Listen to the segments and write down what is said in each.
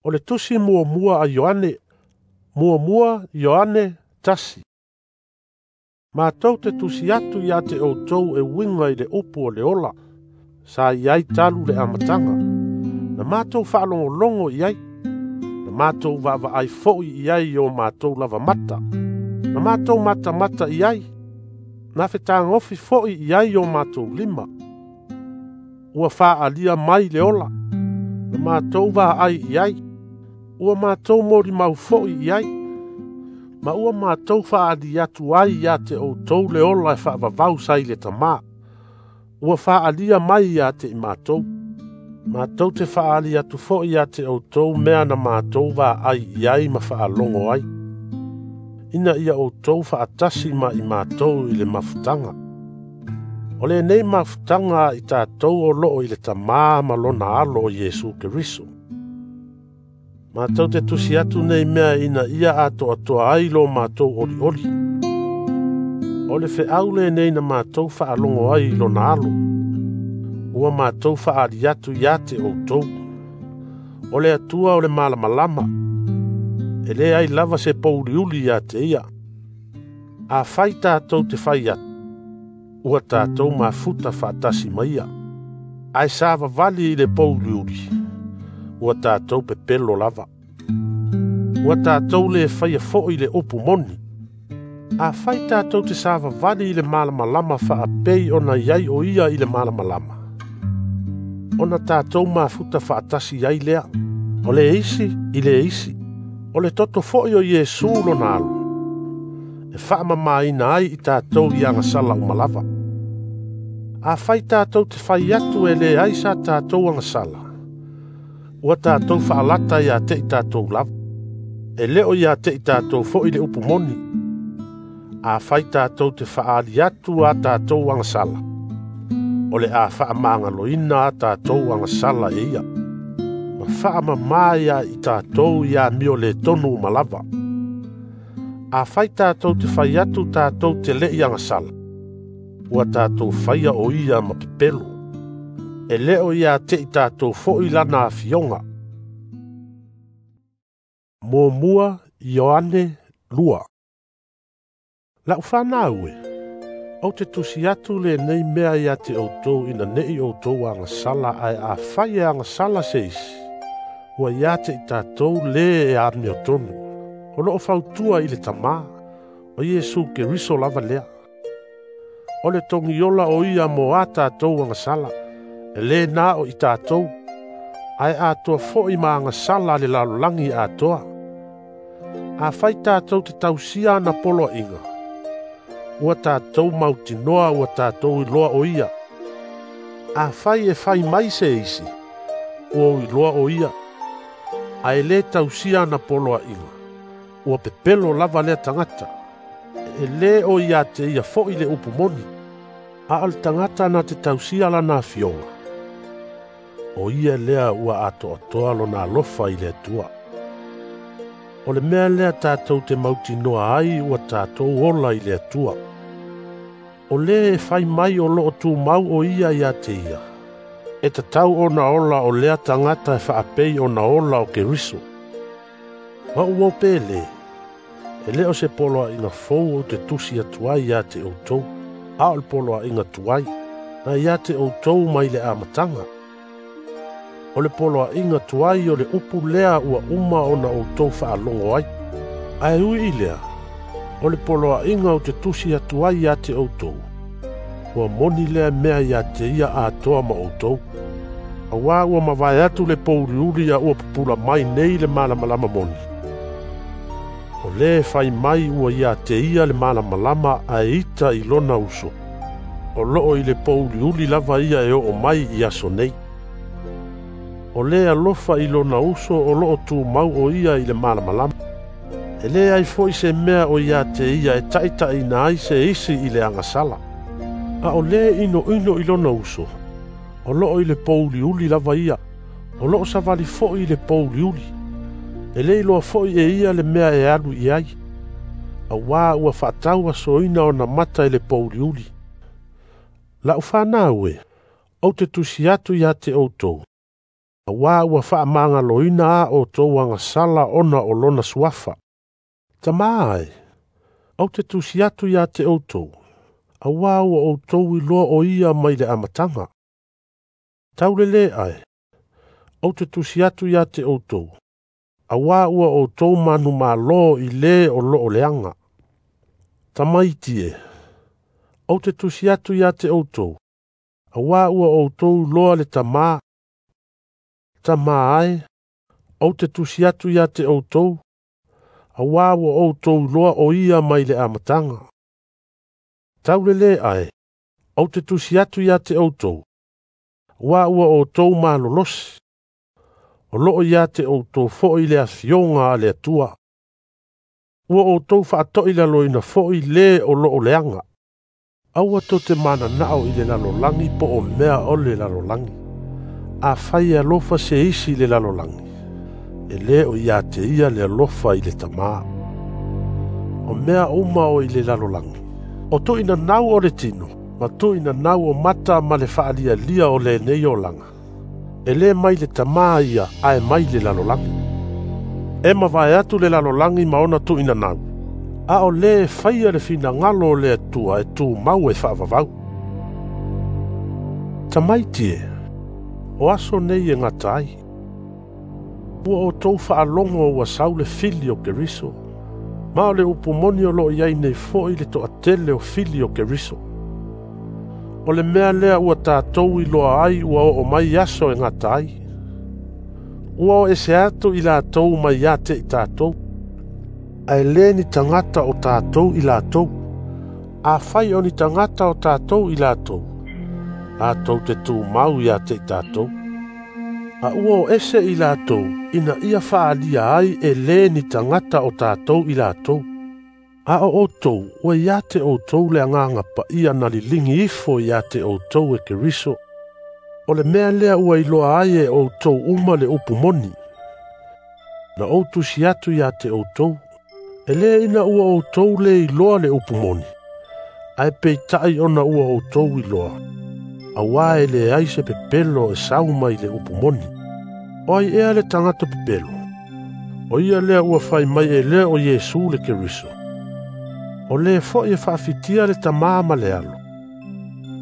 O le tusi muamua a Ioane, 1 Ioane 1. Matou te tusi atu ia te outou e uiga i le upu o le ola, sa i ai talu le amataga. Na matou faalogologo i ai, na matou vaavaai foi i ai i o matou lava mata, na matou matamata i ai, na fetagofi foi i ai i o matou lima. Ua faaalia mai le ola, na matou vaai i ai, ua matou molimau foi i ai, ma ua matou faali atu ai ia te outou le ola e faavavau sa i le tamā. Ua faaalia mai ia te i matou. Matou te faali atu foi ia te outou mea na matou vaai i ai ma faalogo ai, ina ia outou faatasi ma i matou i le mafutaga. O lenei mafutaga i tatou o loo i le tamā ma lona alo o Iesu Keriso. Matou te tusi atu nei mea ina ia atoatoa ai lo matou olioli. O le feau lenei na matou faalogo ai i lona alo, ua matou faali atu ia te outou. O le Atua o le malamalama, e leai lava se pouliuli ia te ia. Afai tatou te fai atu, ua tatou mafuta faatasi ma ia. Ae savavali i le pouliuli, ua tatou pepelo lava. Ua tatou le faia foi le upu moni. Afai tatou te savavali i le malamalama faapei ona i ai o ia i le malamalama, ona tatou mafuta faatasi ai lea, o le isi i le isi, o le toto foi o Iesu lona alo, e faamamaina ai i tatou i agasala uma lava. Afai tatou te fai atu e leai sa tatou agasala, ua tatou faalata ia te i tatou lava, e leo ia te i tatou foi le upu moni. Afai tatou te faali atu a tatou agasala, o le a faamagaloina a tatou agasala e ia, ma faamama ia i tatou ia amio le tonu uma lava. Afai tatou te fai atu tatou te lei agasala, ua tatou faia o ia ma pepelo, e leo ia te i tatou foi lana afioga. 1 Ioane 2. Lau whanau e, ou te tusi atu lenei mea ia te outou ina nei outou agasala ae afai e agasala se isi, ua ia te i tatou le e amiotonu, o loo fautua i le tamā, o Iesu Keriso lava lea. O le togiola o ia mo a tatou agasala, e le na o i tatou, ae atoa foi ma agasala le lalolagi atoa. Afai tatou te tausia ana poloaiga, ua tatou mautinoa ua tatou iloa o ia. Afai e fai mai se isi, ua ou iloa o ia, ae le tausia ana poloaiga, ua pepelo lava lea tagata, e le o ia te ia foi le upu moni. A o le tagata na te tausia lana afioga, o ia lea ua atoatoa lona alofa i le Atua. O le mea lea tatou te mautinoa ai ua tatou ola i le Atua. O le e fai mai o loo tumau o ia ia te ia, e tatau ona ola o lea tagata e faapei ona ola o Keriso. Ma ua pele, e leo se poloaiga fou o te tusi atu ai ia te outou, a o le poloaiga tuai, na ia te outou mai le amataga. O le poloaiga tuai o le upu lea ua uma ona outou faalogo ai. Ae ui i lea, o le poloaiga o te tusi atu ai ia te outou, ua moni lea mea ia te ia atoa ma outou. Auā ua mavae atu le pouliuli ia ua pupula mai nei le malamalama moni. O le fai mai ua ia te ia le malamalama ae ita i lona uso, o loo i le pouliuli lava ia e oo mai i aso nei. O le alofa i lona uso o loo tumau o ia i le malamalama. E le ai foi se mea o ia te ia e taitaina ai se isi i le agasala. A o le inoino i lona uso, o loo i le pouliuli lava ia, o loo savali foi i le pouliuli. E le iloa foi e ia le mea e alu i ai, auā ua faatau asoina ona mata i le pouliuli. Lau whanau e, ou te tusi atu ia te outou, Auā ua faamagaloina a outou agasala ona o lona suafa. Tamā e, ou te tusi atu ia te outou, auā ua outou iloa o ia mai le amataga. Taulelē ae, ou te tusi atu ia te outou, auā ua outou manumalo i lē o loo leaga. Tamaiti e, ou te tusi atu ia te outou, auā ua outou iloa le Tamā. Tamā ae, ou te tusi atu ia te outou, auā ua outou iloa o ia mai le amataga. Taulelē ae, ou te tusi atu ia te outou, auā ua outou malolosi. O loo ia te outou fo'i le afioga a le Atua. Ua outou faatoilaloina fo'i lē o loo leaga. Aua tou te mananao i le lalolagi po o mea o le lalolagi. Afai e alofa se isi i le lalolagi, e lē o ia te ia le alofa i le Tamā. O mea uma o i le lalolagi, o tuuinanau o le tino, ma tuuinanau o mata ma le faalialia o lenei olaga, e lē mai le Tamā ia ae mai le lalolagi. E mavae atu le lalolagi ma ona tuuinanau, a o lē e faia le finagalo o le Atua e tumau e faavavau. Tamaiti e, o aso nei e gata ai. Ua outou faalogo ua sau le fili o Keriso, ma o le upu moni o loo iai nei fo'i le toatele o fili o Keriso. O le mea lea ua tatou iloa ai ua oo mai aso e gata ai. Ua o ese atu i latou mai ia te i tatou, ae lē ni tagata o tatou i latou. Afai o ni tagata o tatou i latou, latou te tumau ia te i tatou. A ua o ese i latou, ina ia faaalia ai e lē ni tagata o tatou i latou. A o outou, ua ia te outou le agaga paia na liligi ifo ia te outou e Keriso. O le mea lea ua iloa ai e outou uma le upu moni. Na ou tusi atu ia te outou, e lē ina ua outou le iloa le upu moni, ae peitai ona ua outou iloa, auā e leai se pepelo e sau mai le upu moni. O ai ea le tagata pepelo? O ia lea ua fai mai e lē o Iesu le Keriso. O lē fo'i e faafitia le Tamā ma le Alo,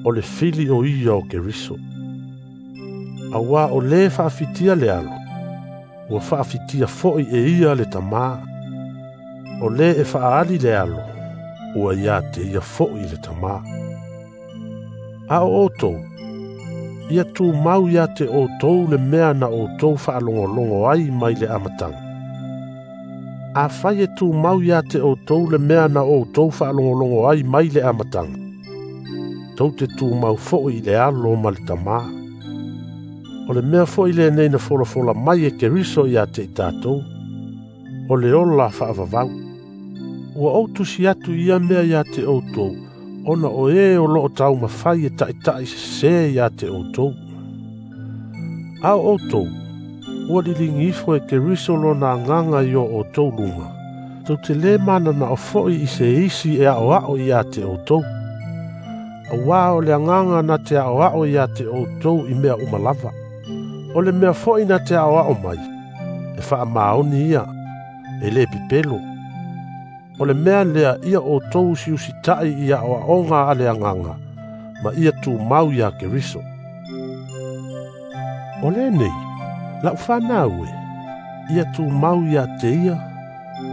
o le fili o ia o Keriso. Auā o lē faafitia le Alo, ua faafitia fo'i e ia le Tamā. O lē e faaali le Alo, ua ia te ia fo'i le Tamā. A o outou, ia tumau ia te outou le mea na outou faalogologo ai mai le amataga. Afai e tumau ia te outou le mea na outou faalogologo ai mai le amataga, tou te tumau fo'i i le Alo ma le Tamā. O le mea fo'i lenei na folafola mai e Keriso ia te i tatou, o le ola faavavau. Ua ou tusi atu ia mea ia te outou, ona o e o loo taumafai e taʻitaʻi sesē ia te outou. A o outou, ua liligi ifo e Keriso lona agaga i o outou luga, tou te lē mananao fo'i i se isi e aʻoaʻo ia te outou. Auā o le agaga na te aʻoaʻo ia te outou i mea uma lava. O le mea fo'i na te aʻoaʻo mai, e faamaoni ia, e lē pepelo. O le mea lea ia outou usiusitaʻi i aʻoaʻoga a le agaga, ma ia tumau iā Keriso. O lenei, lau fanau e, ia tumau ia te ia,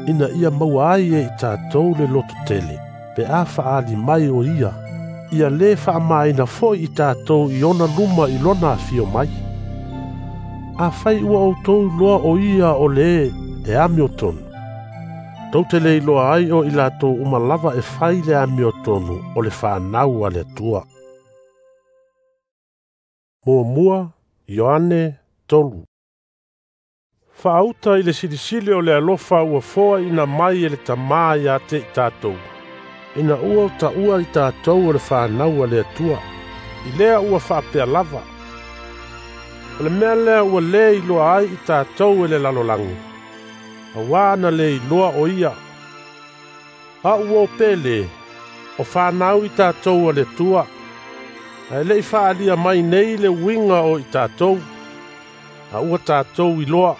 ina ia maua ai e i tatou le lototele, pe a faaali mai o ia, ia lē faamaina fo'i i tatou i ona luma i lona afio mai. Afai ua outou iloa o ia o lē e amiotonu, tou te le iloa ai o i latou uma lava e fai le amiotonu o le fanau a le Atua. 1 Ioane 3. Faauta i le silisili o le alofa ua foaina mai e le Tamā ia te i tatou, ina ua taua i tatou o le fanau a le Atua, i lea ua faapea lava. O le mea lea ua lē iloa ai i tatou e le lalolagi, auā na le iloa o ia. A ua o pele, o fanau i tatou a le Atua, ae leʻi faaalia mai nei le uiga o i tatou. A ua tatou iloa.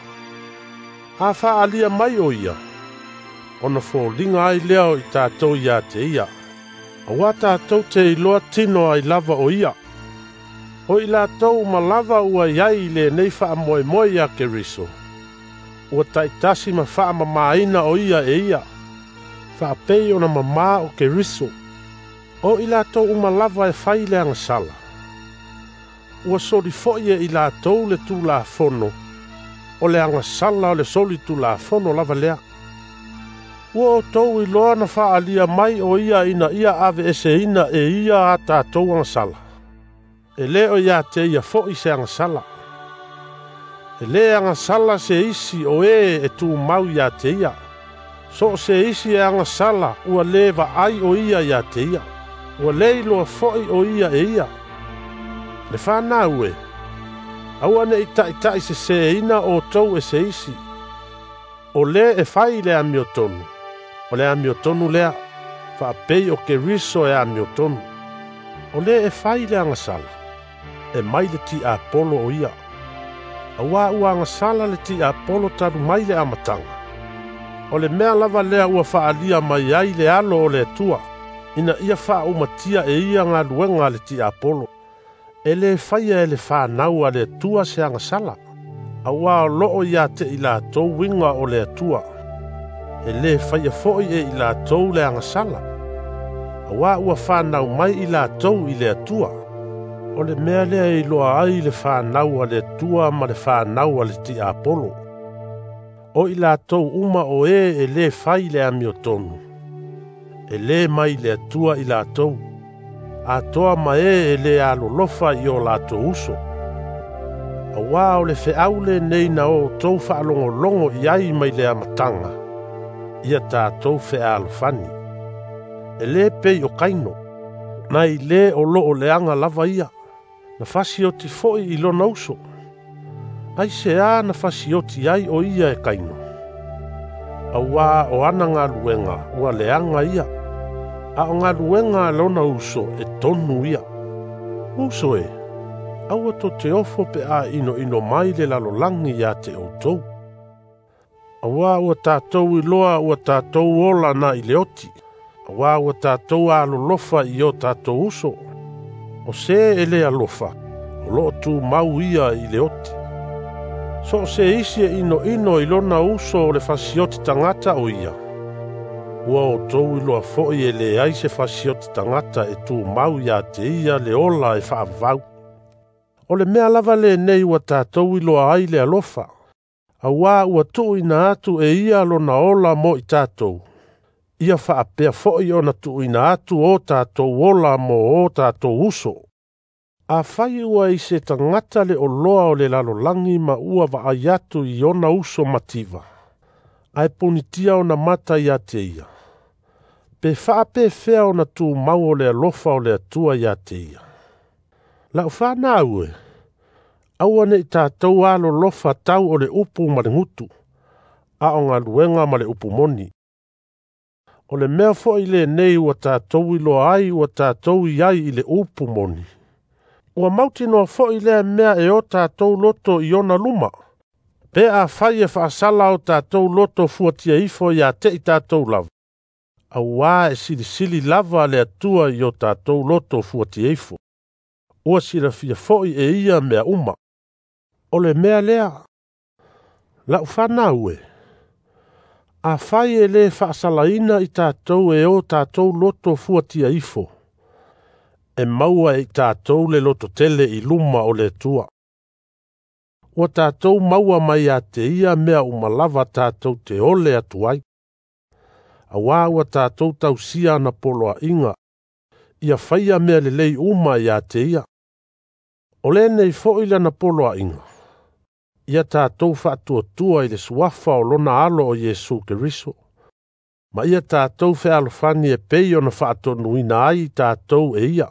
A faaalia mai o ia, ona foliga ai lea o i tatou ia te ia. Auā tatou te iloa tino ai lava o ia. O i latou uma lava ua i ai i lenei faamoemoe ia Keriso, ua taitasi ma faamamaina o ia e ia, faapei ona mamā o Keriso. O i latou uma lava e fai le agasala, ua soli foi e i latou le Tulafono, o le agasala o le soli Tulafono lava lea. Ua outou iloa na faaalia mai o ia ina ia aveeseina e ia a tatou agasala. E lē o ia te ia foi se agasala. E lē agasala se isi o e e tumau ia te ia. So o se isi e agasala ua lē vaai o ia ia te ia. Ua lē iloa foi o ia e ia. Le fanau e, aua neʻi taʻitaʻiseseina outou e se isi. O lē e fai le amiotonu, o le amiotonu lea, faapei o Keriso e amiotonu. O lē e fai le agasala, e mai le tiapolo o ia. Auā ua agasala le tiapolo talu mai le amataga. O le mea lava lea ua faaalia mai ai le alo o le Atua, ina ia faaumatia e ia galuega a le tiapolo. E lē faia e le fanau a le Atua se agasala, auā o loo ia te i latou uiga o le Atua. E lē faia foi e i latou le agasala, auā ua fanau mai i latou i le Atua. O le mea lea e iloa ai le fanau a le Atua ma le fanau a le tiapolo. O i latou uma o e e lē fai le amiotonu, e lē mai le Atua i latou, atoa ma e e lē alolofa i o latou uso. Auā o le feau lenei na outou faalogologo i ai mai le amataga, ia tatou fealofani. E lē pei o Kaino, nai lē o loo leaga lava ia, na fasioti foi i lona uso. Aisea na fasioti ai o ia e Kaino? Auā o ana galuega ua leaga ia, a o galuega a lona uso e tonu ia. Uso e, aua tou te ofo pe a inoino mai le lalolagi ia te outou. Auā ua tatou iloa ua tatou ola na i le oti, auā ua tatou alolofa i o tatou uso. O se e lē alofa, o loo tumau ia i le oti. So o se isi e inoino i lona uso o le fasioti tagata o ia, ua outou iloa foi e leai se fasioti tagata e tumau ia te ia le ola e faavavau. O le mea lava lenei ua tatou iloa ai le alofa, auā ua tuuina atu e ia lona ola mo i tatou, ia faapea foi ona tuuina atu o tatou ola mo o tatou uso. Afai ua i se tagata le oloa o le lalolagi ma ua vaai atu i ona uso mativa, ae punitia ona mata ia te ia, pe faapefea ona tumau o le alofa o le Atua ia te ia. Lau fanau e, aua neʻi tatou alolofa tau o le upu ma le gutu, a o galuega ma le upu moni. O le mea foi lenei ua tatou iloa ai ua tatou i ai i le upu moni. Ua mautinoa foi lea mea e o tatou loto i ona luma. Pe afai e faasala o tatou loto fuatia ifo ia te i tatou lava, auā e silisili lava le Atua i o tatou loto fuatia ifo. Ua silafia foi e ia mea uma. O le mea lea, lau fanau e, afai e lē faasalaina i tatou e o tatou loto fuatia ifo, e maua e i tatou le lototele i luma o le Atua. Ua tatou maua mai ia te ia mea uma lava tatou te ole atu ai. Auā ua tatou tausia ana poloaiga, ia faia mea lelei uma ia te ia. O lenei foi lana poloaiga, ia tatou faatuatua i le suafa o lona alo o Iesu Keriso, ma ia tatou fealofani e pei ona faatonuina ai i tatou e ia.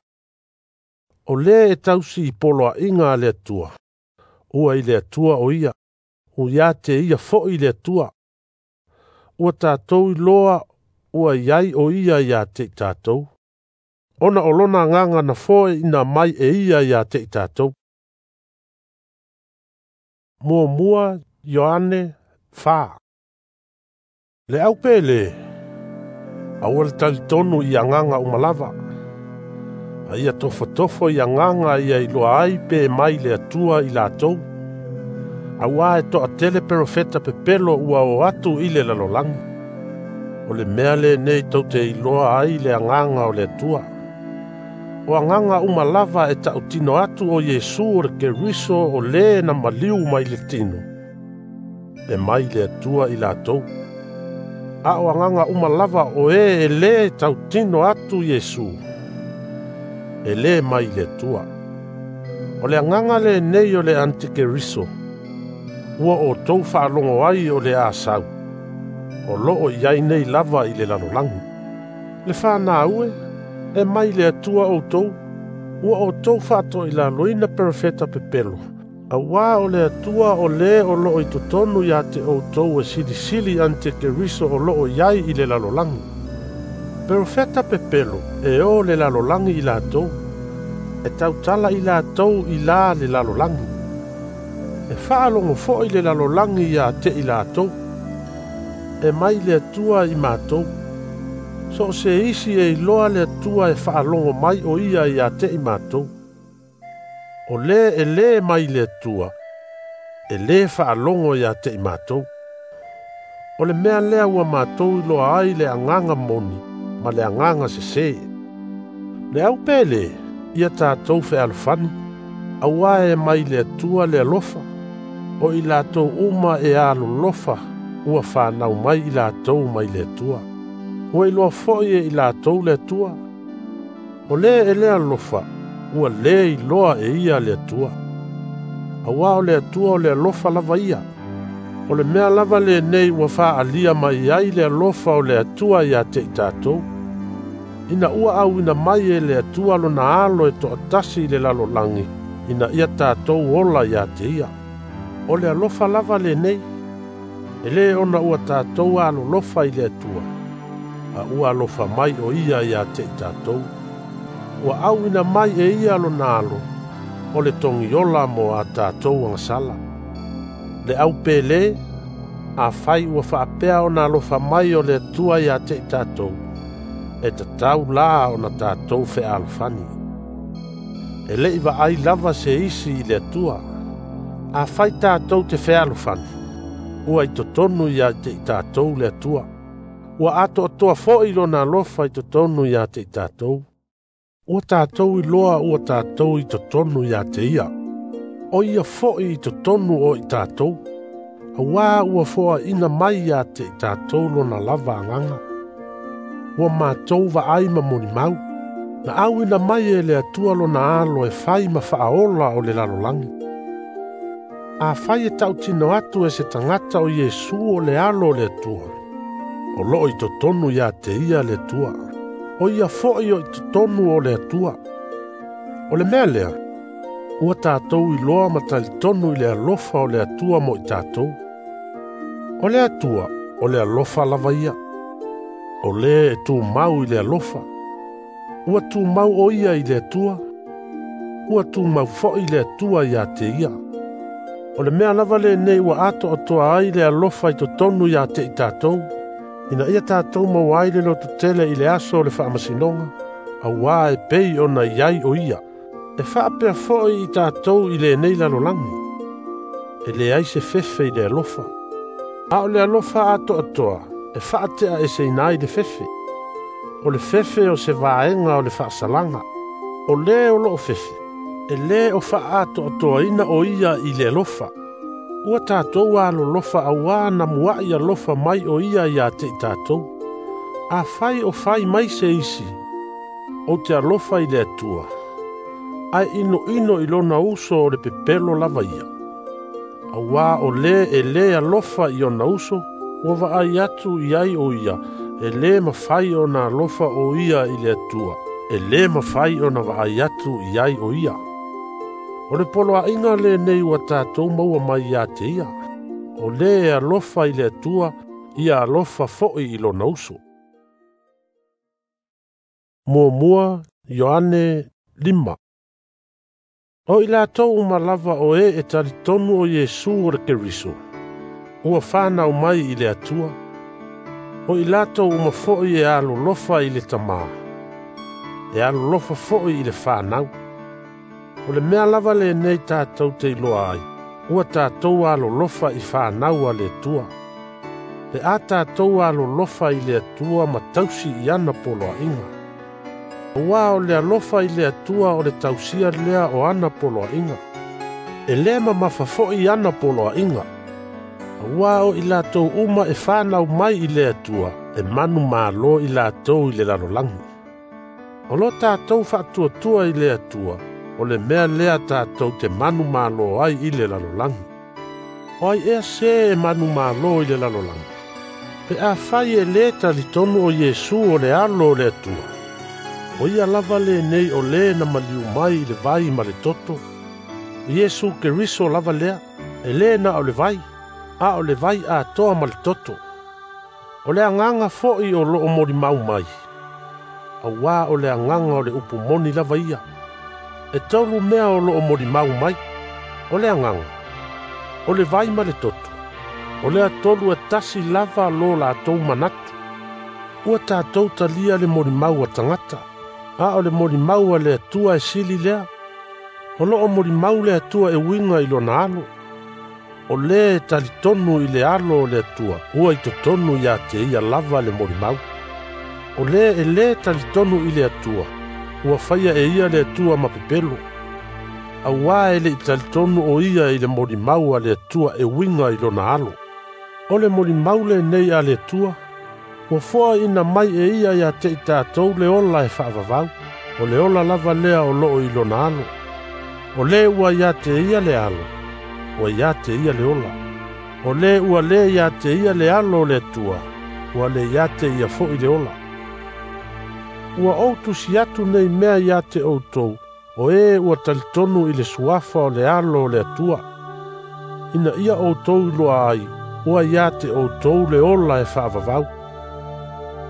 O lē e tausi i poloaiga a le Atua, ua i le Atua o ia, ua ia te ia foi le Atua. Ua tatou iloa ua i ai o ia ia te i tatou, ona o lona agaga na foeina mai e ia ia te i tatou. 1 Ioane 4. Le au pele, aua le talitonu i agaga uma lava. A ia tofotofo i agaga ia iloa ai pe mai le Atua i latou. Auā e toatele perofeta pepelo ua o atu i le lalolagi. O le mea lenei tou te iloa ai le agaga o le Atua. O agaga uma lava e tautino atu o Iesu o le Keriso o le na maliu mai le tino, e mai le Atua i latou. A o agaga uma lava o e le tautino atu Iesu, e le mai le Atua. O le agaga lenei o le antikeriso, ua outou faalogo ai o le a sau, o loo i ai nei lava i le lalolagi. Le whanau e mai le Atua outou, ua outou faatoilaloina perofeta pepelo, auā o le Atua o le o loo i totonu ia te outou e silisili antikeriso o loo i ai i le lalolagi. Perofeta pepelo e o le lalolagi i latou, e tautala i latou i la le lalolagi. E faalogo foi le lalolagi ia te i latou. E mai le Atua i matou. So se isi e iloa le Atua e faalogo mai o ia ia te i matou. O le e le mai le Atua, e le faalogo ia te i matou. O le mea lea ua matou iloa ai le agaga moni ma le agaga sese. Le au pele, ia tatou fealofani, auā e mai le Atua le alofa, o i latou uma e alolofa ua whanau mai i latou mai le Atua. Ua iloa foi e i latou le Atua. O le e le alofa, ua le iloa e ia le Atua. Auā o le Atua o le alofa lava ia. O le mea lava lenei ua faaalia mai ai le alofa o le Atua ia te i tatou. Ina ua auina mai e le Atua lona alo e toatasi i le lalolagi, ina ia tatou ola ia te ia. O le alofa lava lenei, e le ona ua tatou alolofa i le Atua, a ua alofa mai o ia ia te i tatou. Ua auina mai e ia lona alo, o le togiola mo a tatou agasala. Le au pele, afai ua faapea ona alofa mai o le Atua ia te i tatou, e tatau la ona tatou fealofani. E lei vaai lava se isi i le Atua. Afai tatou te fealofani, ua i totonu ia te i tatou le Atua. Ua atoatoa foi lona alofa i totonu ia te i tatou. Ua tatou iloa ua tatou i totonu ia te ia. O ia foi i totonu o i tatou. Auā ua foaina mai ia te i tatou lona lava agaga. Ua matou vaai ma molimau. Na auina mai e le Atua lona alo e fai ma faaola o le lalolagi. Afai e tautino atu e se tagata o Iesu o le alo o le Atua, o loo i totonu ia te ia le Atua. O ia foi o i totonu o le Atua. O le mea lea, ua tatou iloa ma talitonu i le alofa o le Atua mo i tatou. O le Atua, o le alofa lava ia. O le e tumau i le alofa. Ua tumau o ia i le Atua. Ua tumau foi le Atua ia te ia. O le mea lava lenei ua atoatoa ai le alofa i totonu ia te i tatou, ina ia tatou maua ai le lototele i le aso o le faamasinoga, auā e pei ona i ai o ia. E faapea foi i tatou i lenei lalolagi. E leai se fefe i le alofa. A o le alofa atoatoa, e faatea eseina ai le fefe. O le fefe o se vaega o le faasalaga. O le o loo fefe, e le o faaatoatoaina o ia i le alofa. Ua tatou alolofa auā na muai alofa mai o ia ia te i tatou. Afai o fai mai se isi, ou te alofa i le Atua, ae inoino i lona uso o le pepelo lava ia. Auā o le e le alofa i ona uso, ua vaai atu i ai o ia, e le mafai ona alofa o ia i le Atua, e le mafai ona vaai atu i ai o ia. O le poloaiga lenei ua tatou maua mai ia te ia. O le e alofa i le Atua, ia alofa foi i lona uso. 1 Ioane 5. O i latou uma lava o e talitonu o Iesu o le Keriso, ua whanau mai i le Atua. O i latou uma foi e alolofa i le tamā, e alolofa foi i le whanau. O le mea lava lenei tātou te iloa ai, ua tātou alolofa i whanau a le Atua. Pe a tātou alolofa i le Atua ma tausi i ana poloaiga. Ua o le alofa i le Atua o le tausia lea o ana poloaiga. E le mamafa foi ana poloaiga. Ua o i latou uma e whanau mai i le Atua, e manu malo i latou i le lalolagi. O lo tātou faatuatua i le Atua, o le mea lea tātou te manu malo ai i le lalolagi. O ai ea se e manu malo i le lalolagi. Pe a fai e le talitonu o Iesu o le alo o le Atua. O ia lava lenei o le na maliu mai i le vai ma le toto. Iesu Keriso lava lea, e le na o le vai, a o le vai atoa ma le toto. O le agaga foi o loo molimau mai. Auā o le agaga o le upu moni lava ia. E tolu mea o loo molimau mai. O le agaga, o le vai ma le toto. O lea tolu e tasi lava lo latou manatu. Ua tātou talia le molimau a tagata, a o le molimau a le Atua e sili lea. O loo molimau le Atua e uiga i lona alo. O le talitonu i le alo o le Atua, ua i totonu ia te ia lava le molimau. O le e le talitonu i le Atua, ua faia e ia le Atua ma pepelo. Auā e le i talitonu o ia i le molimau a le Atua e uiga i lona alo. O le molimau lenei a le Atua, ua foaina mai e ia ia te i tātou le ola e faavavau. O le ola lava lea o loo i lona alo. O le ua ia te ia le alo, ua ia te ia le ola. O le ua le ia te ia le alo o le Atua, ua le ia te ia foi le ola. Ua ou tusi atu nei mea ia te outou, o e ua talitonu i le suafa o le alo o le Atua. Ina ia outou iloa ai, ua ia te outou le ola e faavavau.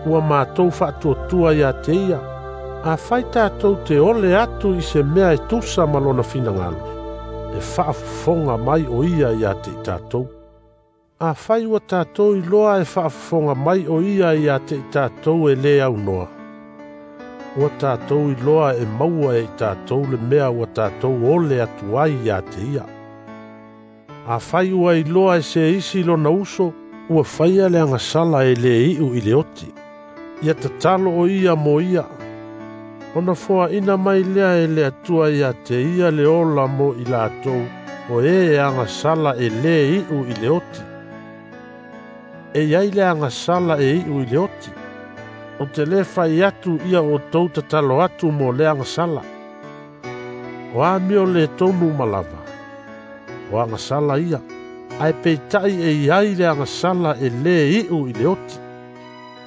Ua mātou faatuatua ia te ia, a fai tātou te ole atu i se mea e tusa ma lona finagalo, e faafofoga mai o ia ia te i tātou. A fai ua tātou iloa e faafofoga mai o ia ia te i tātou e le aunoa. Ua tātou iloa e maua e i tātou le mea ua tātou ole atu ai ia te ia. A fai ua iloa e se isi lona uso, ua faia le agasala e le iu i le oti. Ia tatalo o ia mo ia. Ona foaina mai lea e le Atua ia te ia le ola mo i latou, o e agasala e le iu i le oti. E iai le agasala e iu i le oti. O te le fai atu ia o tou tatalo atu mo le agasala. O amio le tonu malava. O agasala ia. Ae peitai e iai le agasala e le iu i le oti.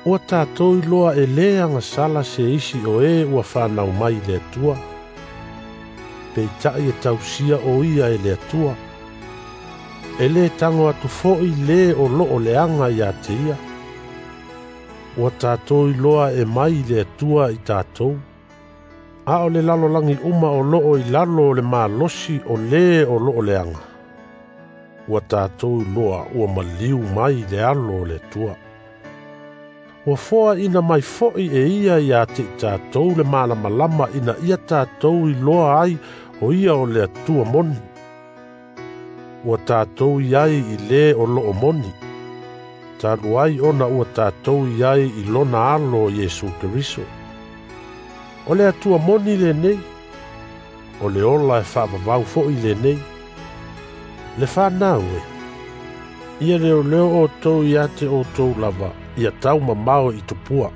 Ua tātou iloa e le agasala se isi o e ua whanau mai le Atua. Peitai e tausia o ia e le Atua. E le tango atu foi le o loo leaga ia te ia. Ua tātou iloa e mai le Atua i tātou. A o le lalolagi uma o loo i lalo o le malosi o le o loo leaga. Ua tātou iloa ua maliu mai le alo o le Atua. Ua foaina mai foi e ia ia te i tātou le malamalama ina ia tātou iloa ai o ia o le Atua moni. Ua tātou iai i le o loo moni. Talu ai ona ua tātou iai i lona alo o Iesu Keriso. O le Atua moni lenei, o le ola e faavavau foi lenei. Le whanau e, ia leo leo outou ia te outou lava, ia tau mamao i tupua.